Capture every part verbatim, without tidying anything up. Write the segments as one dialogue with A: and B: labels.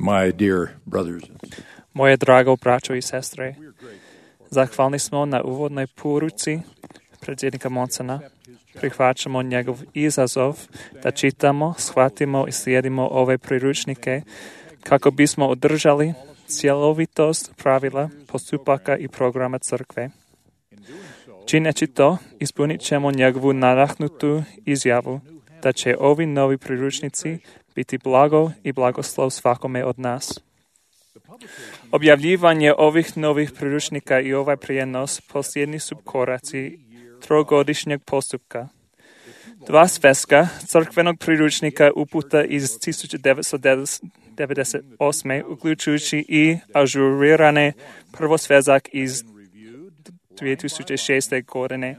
A: My dear brothers and sisters,
B: Moje drago braćo i sestre, zahvalni smo na uvodnoj poruci predsjednika Monsona. Prihvaćamo njegov izazov da čitamo, shvatimo i slijedimo ove priručnike kako bismo održali cjelovitost pravila, postupaka i programa crkve. Čineći to, ispunit ćemo njegovu nadahnutu izjavu da će ovi novi priručnici biti blago i blagoslov svakome od nas. Objavljivanje ovih novih priručnika i ovaj prijenos posljednji su koraci trogodišnjeg postupka. Dva sveska crkvenog priručnika uputa iz tisuću devetsto devedeset osme uključujući i ažurirane prvosvezak iz dvije tisuće šeste. godine.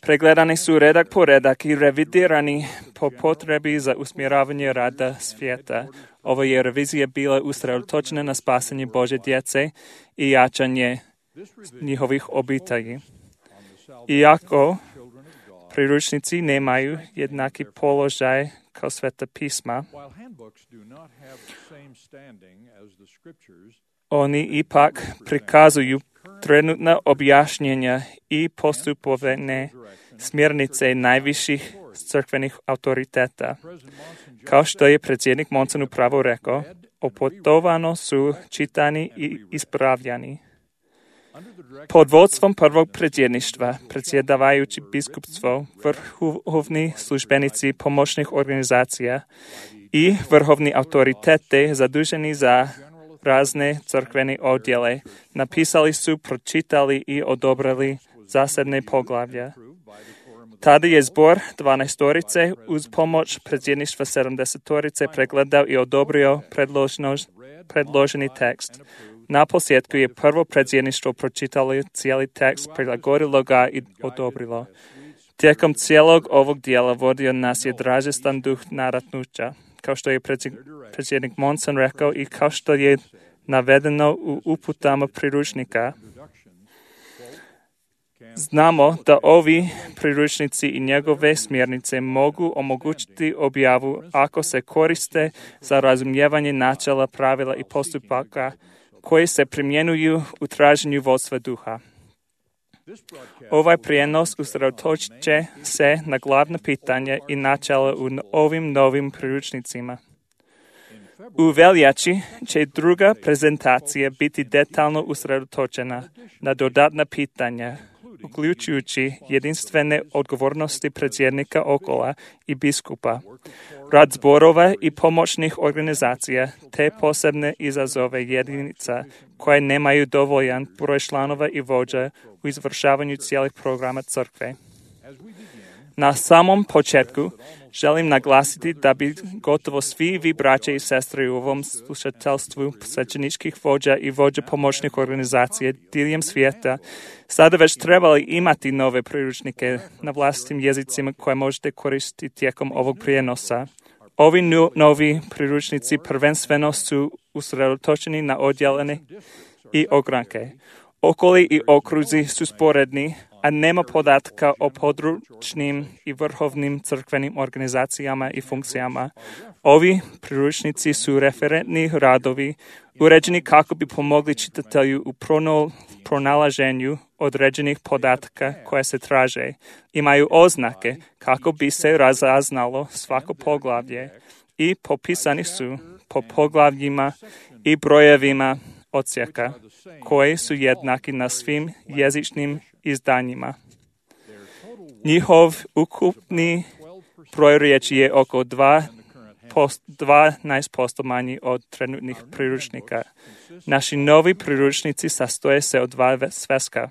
B: Pregledani su redak po redak i revidirani po potrebi za usmjeravanje rada svijeta. Ova je revizija bila usredotočena na spasanje Božje djece i jačanje njihovih obitelji. Iako priručnici nemaju jednaki položaj kao Sveta pisma, oni ipak prikazuju trenutna objašnjenja i postupovne smjernice najviših crkvenih autoriteta. Kao što je predsjednik Monson upravo rekao, opetovano su čitani i ispravljani. Pod vodstvom prvog predsjedništva, predsjedavajući biskupstvo, vrhovni službenici pomoćnih organizacija i vrhovni autoritete zaduženi za razne crkvene odjele, napisali su, pročitali i odobrili zasebne poglavlja. Tada je zbor dvanaestorice uz pomoć predsjedništva sedamdesetorice pregledao i odobrio predloženi tekst. Na posljedku je prvo predsjedništvo pročitalo cijeli tekst, prilagodilo ga i odobrilo. Tijekom cijelog ovog dijela vodio nas je dražestan duh nadatnuća, kao što je predsjednik Monson rekao i kao što je navedeno u uputama priručnika. Znamo da ovi priručnici i njegove smjernice mogu omogućiti objavu ako se koriste za razumijevanje načela, pravila i postupaka koji se primjenjuju u traženju vodstva duha. Ovaj prijenos usredotočit će se na glavna pitanja i načela u ovim novim priručnicima. U veljači će druga prezentacija biti detaljno usredotočena na dodatna pitanja, uključujući jedinstvene odgovornosti predsjednika okola i biskupa, rad zborova i pomoćnih organizacija, te posebne izazove jedinica koje nemaju dovoljan broj članova i vođa u izvršavanju cijelih programa crkve. Na samom početku želim naglasiti da bi gotovo svi vi braće i sestre u ovom slušateljstvu svećeničkih vođa i vođa pomoćnih organizacija diljem svijeta sada već trebali imati nove priručnike na vlastitim jezicima koje možete koristiti tijekom ovog prijenosa. Ovi novi priručnici prvenstveno su usredotočeni na odjelene i ogranke. Okoli i okruzi su sporedni, a nema podatka o područnim i vrhovnim crkvenim organizacijama i funkcijama. Ovi priručnici su referentni radovi, uređeni kako bi pomogli čitatelju u pronalaženju određenih podataka koje se traže. Imaju oznake kako bi se razaznalo svako poglavlje i popisani su po poglavljima i brojevima odsjeka, koji su jednaki na svim jezičnim izdanjima. Njihov ukupni broj riječi je oko dvanaest posto manji od trenutnih priručnika. Naši novi priručnici sastoje se od dva sveska.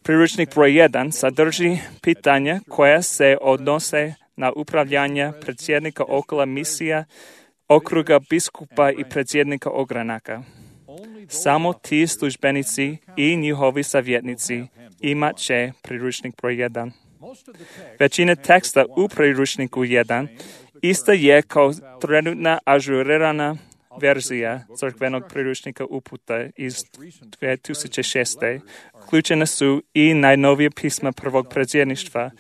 B: Priručnik broj jedan sadrži pitanja koja se odnose na upravljanje predsjednika okola misija, okruga biskupa i predsjednika ogranaka. Samo ti službenici i njihovi savjetnici imat će priručnik broj jedan. Većina teksta u priručniku jedan ista je kao trenutna ažurirana verzija crkvenog priručnika uputa iz dvije tisuće šeste. Uključene su i najnovije pisma prvog predsjedništva.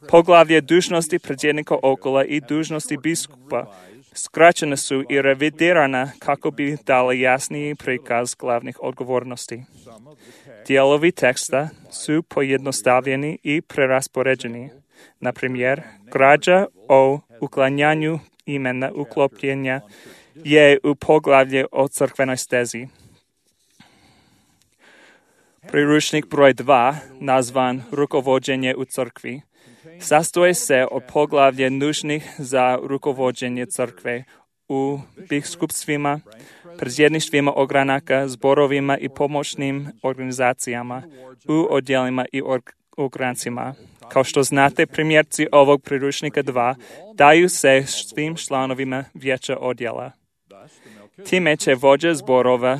B: Poglavlje dužnosti predsjednika okola i dužnosti biskupa skraćena su i revidirana kako bi dali jasniji prikaz glavnih odgovornosti. Dijelovi teksta su pojednostavljeni i preraspoređeni. Na primjer, građa o uklanjanju imena uklopljenja je u poglavlje o crkvenoj stezi. Priručnik broj dva, nazvan Rukovođenje u crkvi, sastoji se od poglavlja nužnih za rukovođenje crkve u biskupstvima, predsjedništvima ogranaka, zborovima i pomoćnim organizacijama, u odjelima i ograncima. Kao što znate, primjerci ovog priručnika dva daju se svim članovima vijeća odjela. Time će vođa zborova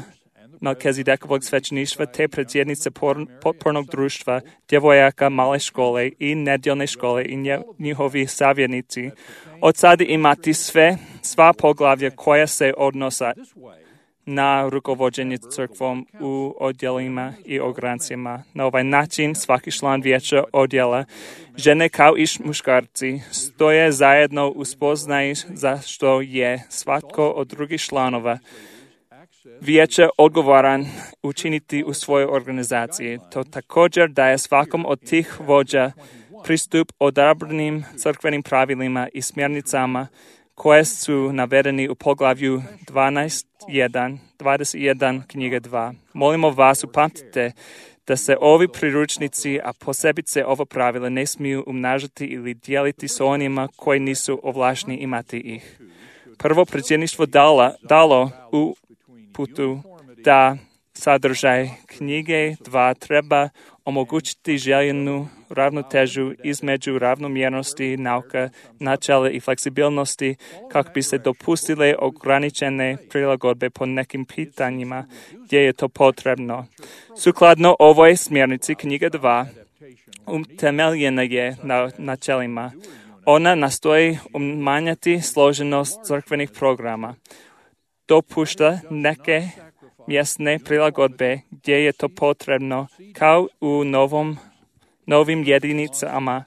B: Melkizedekovog svećeništva te predsjednice potpornog društva, djevojaka male škole i nedjeljne škole i njihovi savjetnici od sada imati sve, sva poglavlja koja se odnosa na rukovođenje crkvom u odjelima i ograncima. Na ovaj način svaki član vijeća odjela, žene kao i muškarci, stoje zajedno u spoznaji za što je svatko od drugih članova vijeća odgovoran učiniti u svojoj organizaciji. To također daje svakom od tih vođa pristup odabranim crkvenim pravilima i smjernicama koje su navedeni u poglavlju dvanaest jedan, dvadeset jedan knjige dva. Molimo vas, upamtite da se ovi priručnici, a posebice ova pravila, ne smiju umnažati ili dijeliti s onima koji nisu ovlašteni imati ih. Prvo predsjedništvo dala, dalo u putu da sadržaj knjige dva treba omogućiti željenu ravnotežu između ravnomjernosti, nauka, načela i fleksibilnosti kako bi se dopustile ograničene prilagodbe po nekim pitanjima gdje je to potrebno. Sukladno ovoj smjernici knjiga dva utemeljena je na načelima. Ona nastoji umanjati složenost crkvenih programa. Dopušta neke mjesne prilagodbe gdje je to potrebno, kao u novom, novim jedinicama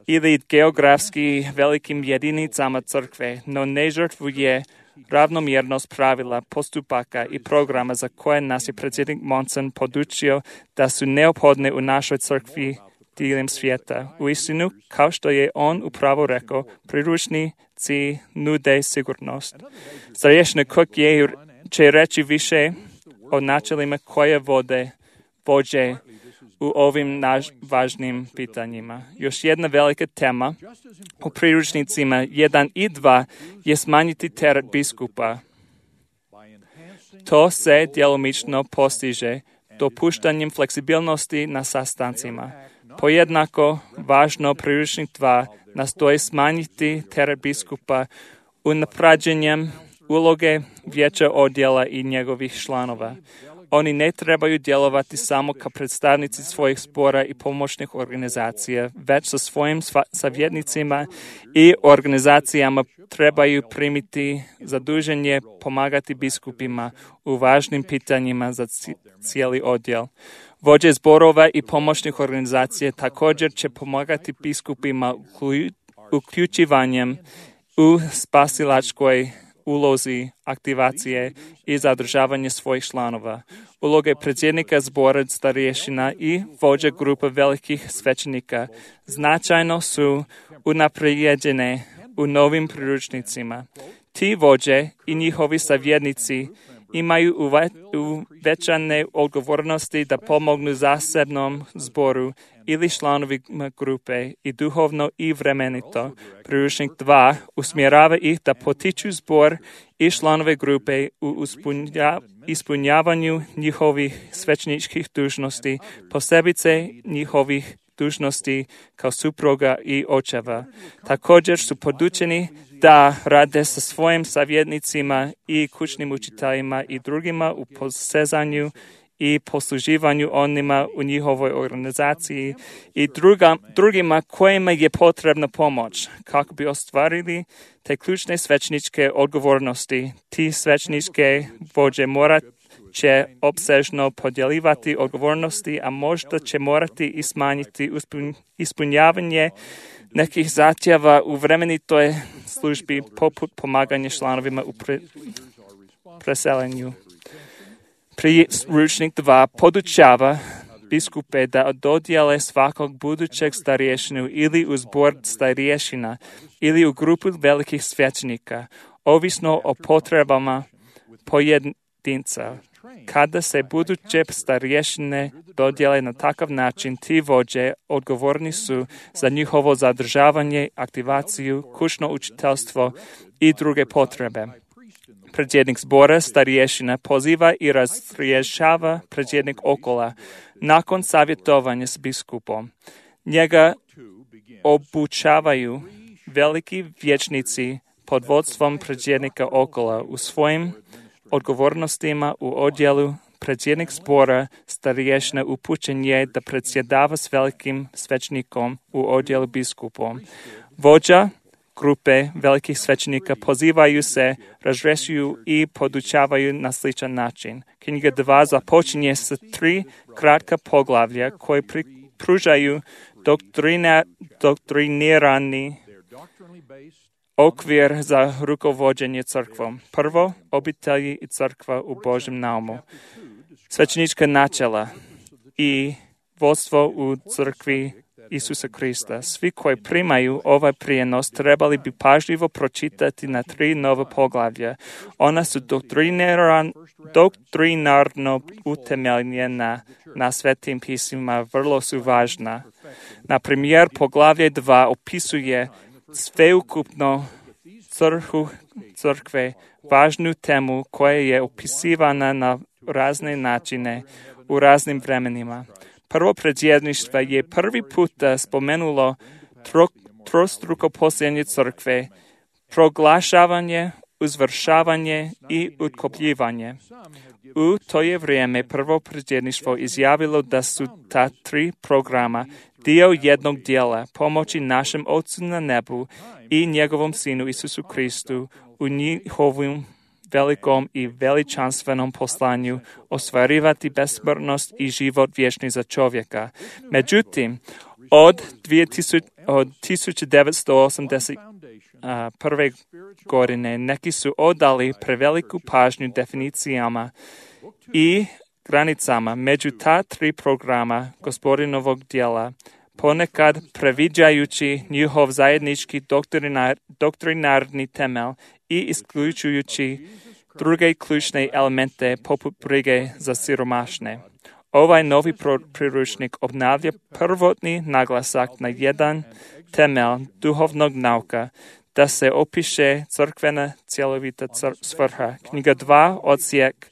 B: ili geografski velikim jedinicama crkve, no ne žrtvuje ravnomjernost pravila, postupaka i programa za koje nas je predsjednik Monson podučio da su neophodne u našoj crkvi diljem svijeta. U istinu, kao što je on upravo rekao, priručnici nude sigurnost. Starješina Cook je će reći više o načelima koje vode, vođe u ovim naš važnim pitanjima. Još jedna velika tema u priručnicima jedan i dva je smanjiti teret biskupa. To se djelomično postiže dopuštanjem fleksibilnosti na sastancima. Pojednako važno priručnik dva nastoji smanjiti teret biskupa unapređenjem uloge vijeća odjela i njegovih članova. Oni ne trebaju djelovati samo kao predstavnici svojih zbora i pomoćnih organizacija, već sa svojim savjetnicima i organizacijama trebaju primiti zaduženje pomagati biskupima u važnim pitanjima za cijeli odjel. Vođe zborova i pomoćnih organizacija također će pomagati biskupima uključivanjem u spasilačkoj ulozi aktivacije i zadržavanje svojih članova. Uloge predsjednika zbora starješina i vođa grupe velikih svećenika značajno su unaprijeđene u novim priručnicima. Ti vođe i njihovi savjetnici imaju uvećane odgovornosti da pomognu zasebnom zboru ili članovima grupe i duhovno i vremenito. Priručnik dva usmjerava ih da potiču zbor i članove grupe u ispunjavanju njihovih svećeničkih dužnosti, posebice njihovih dužnosti kao supruga i očeva. Također su podučeni da rade sa svojim savjetnicima i kućnim učiteljima i drugima u posezanju i posluživanju onima u njihovoj organizaciji i druga, drugima kojima je potrebna pomoć kako bi ostvarili te ključne svećeničke odgovornosti. Ti svećeničke vođe morat će opsežno podjeljivati odgovornosti, a možda će morati i smanjiti ispunjavanje nekih zahtjeva u vremenitoj službi poput pomaganja članovima u pre, preselenju. Priručnik dva podučava biskupe da dodijele svakog budućeg starješinu ili u zbor starješina ili u grupu velikih svećenika, ovisno o potrebama pojedinca. Kada se buduće starješine dodijele na takav način, ti vođe odgovorni su za njihovo zadržavanje, aktivaciju, kućno učiteljstvo i druge potrebe. Predsjednik zbora starješina poziva i razrješava predsjednik okola nakon savjetovanja s biskupom. Njega obučavaju veliki vječnici pod vodstvom predsjednika okola u svojim odgovornostima u odjelu. Predsjednik zbora starješina upućen je da predsjedava s velikim svećnikom u odjelu biskupom. Vođa grupe velikih svećenika pozivaju se, razrješuju i podučavaju na sličan način. Knjiga dva započinje sa tri kratka poglavlja koje pružaju doktrina, doktrinirani okvir za rukovođenje crkvom. Prvo, obitelji i crkva u Božjem naumu. Svećenička načela i vodstvo u crkvi Isusa Krista. Svi koji primaju ovaj prijenos trebali bi pažljivo pročitati na tri nova poglavlja. Ona su doktrinarno utemeljena na svetim pismima, vrlo su važna. Na primjer, poglavlje dva opisuje sveukupno crkvu crkve, važnu temu koja je opisivana na razne načine u raznim vremenima. Prvo predsjedništvo je prvi puta spomenulo tro, trostruko postojanje crkve, proglašavanje, uzvršavanje i utkopljivanje. U to je vrijeme prvo predsjedništvo izjavilo da su ta tri programa dio jednog dijela pomoći našem Otcu na nebu i njegovom Sinu Isusu Kristu u njihovom velikom i veličanstvenom poslanju ostvarivati besmrtnost i život vječni za čovjeka. Međutim, od, od tisuću devetsto osamdeset prve godine neki su odali preveliku pažnju definicijama i granicama među ta tri programa Gospodinovog djela, ponekad previđajući njihov zajednički doktrinar, doktrinarni temelj i isključujući druge ključne elemente poput brige za siromašne. Ovaj novi priručnik obnavlja prvotni naglasak na jedan temelj duhovnog nauka, da se opiše crkvena cjelovita svrha. Knjiga dva, odsjek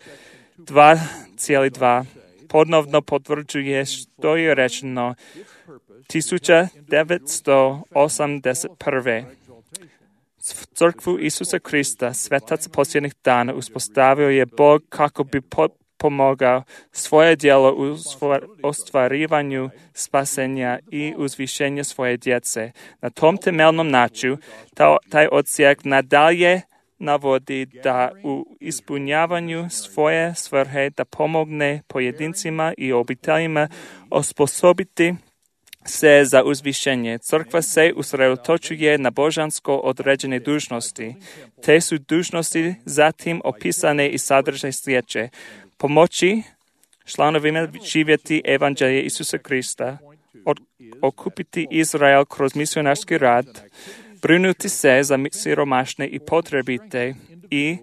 B: dva cijeli dva, ponovno potvrđuje što je rečeno tisuću devetsto osamdeset prve. Crkvu Isusa Krista, svetac posljednjih dana, uspostavio je Bog kako bi pomogao svoje djelo u ostvarivanju spasenja i uzvišenja svoje djece. Na tom temeljnom načinu taj odsjek nadalje navodi da u ispunjavanju svoje svrhe da pomogne pojedincima i obiteljima osposobiti se za uzvišenje. Crkva se usredotočuje na božansko određene dužnosti. Te su dužnosti zatim opisane i sadržaj sljedeće: pomoći članovima živjeti evanđelje Isusa Krista, od, okupiti Izrael kroz misionarski rad, brinuti se za siromašne i potrebite i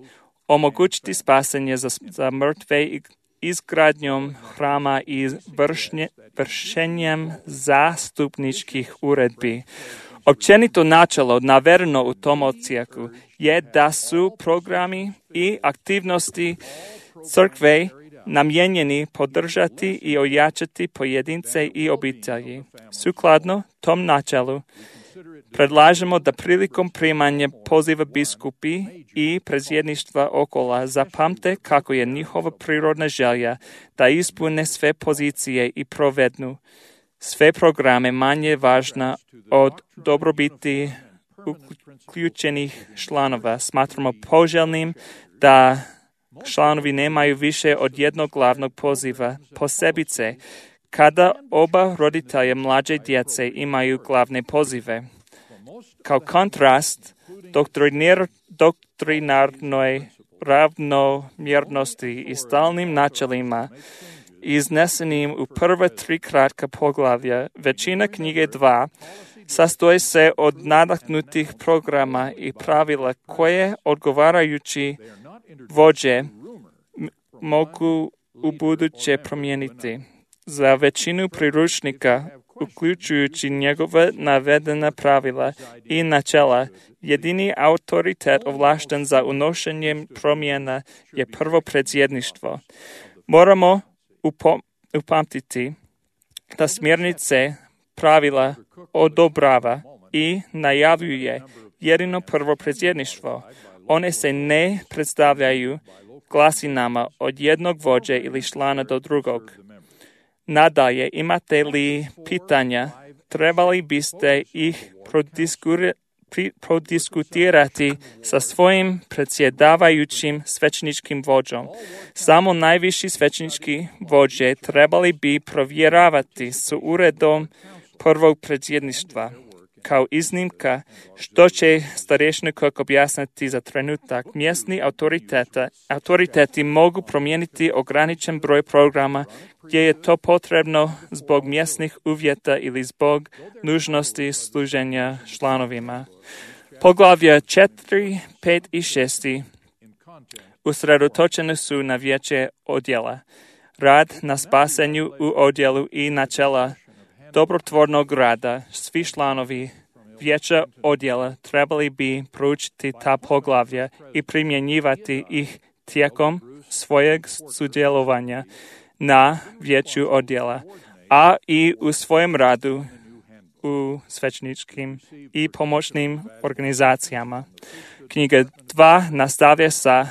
B: omogućiti spasenje za, za mrtve i izgradnjom hrama i vršnje, vršenjem zastupničkih uredbi. Općenito načelo navedeno u tom odsjeku je da su programi i aktivnosti crkve namijenjeni podržati i ojačati pojedince i obitelji. Sukladno tom načelu predlažemo da prilikom primanja poziva biskupi i predsjedništva okola zapamte kako je njihova prirodna želja da ispune sve pozicije i provednu sve programe manje važna od dobrobiti uključenih članova. Smatramo poželjnim da članovi nemaju više od jednog glavnog poziva, posebice kada oba roditelja mlađe djece imaju glavne pozive. Kao kontrast doktrinir, doktrinarnoj ravnomjernosti i stalnim načelima iznesenim u prva tri kratka poglavlja, većina knjige dva sastoji se od nadahnutih programa i pravila koje odgovarajući vođe mogu u buduće promijeniti. Za većinu priručnika, uključujući njegove navedena pravila i načela, jedini autoritet ovlašten za unošenjem promjena je prvo predsjedništvo. Moramo upom- upamtiti da smjernice pravila odobrava i najavljuje jedino prvo predsjedništvo. One se ne predstavljaju glasinama od jednog vođe ili člana do drugog. Nadalje, imate li pitanja, trebali biste ih prodiskutirati sa svojim predsjedavajućim svećeničkim vođom. Samo najviši svećenički vođe trebali bi provjeravati s uredom prvog predsjedništva. Kao iznimka, što će starješni Cook objasniti za trenutak, mjesni autoriteti mogu promijeniti ograničen broj programa gdje je to potrebno zbog mjesnih uvjeta ili zbog nužnosti služenja članovima. Poglavlja četiri, pet i šest usredotočene su na vijeće odjela, rad na spasenju u odjelu i načela dobrotvornog rada. Svi članovi vijeća odjela trebali bi proučiti ta poglavlja i primjenjivati ih tijekom svojeg sudjelovanja na vijeću odjela, a i u svojem radu u svećeničkim i pomoćnim organizacijama. Knjiga dva nastavlja sa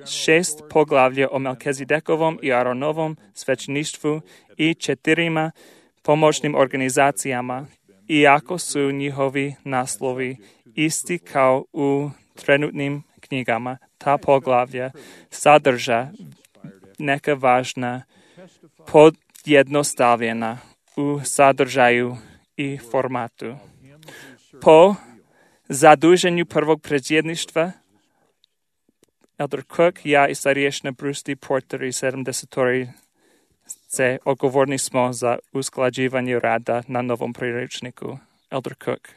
B: šest poglavlja o Melkizedekovom i Aronovom svećeništvu i četirima pomoćnim organizacijama, iako su njihovi naslovi isti kao u trenutnim knjigama. Ta poglavlja sadrža neka važna podjednostavljena u sadržaju i formatu. Po zaduženju prvog predsjedništva, Elder Cook, ja i starješina Bruce D. Porter i sedamdesetori se odgovorni smo za usklađivanje rada na novom priručniku. Elder Cook.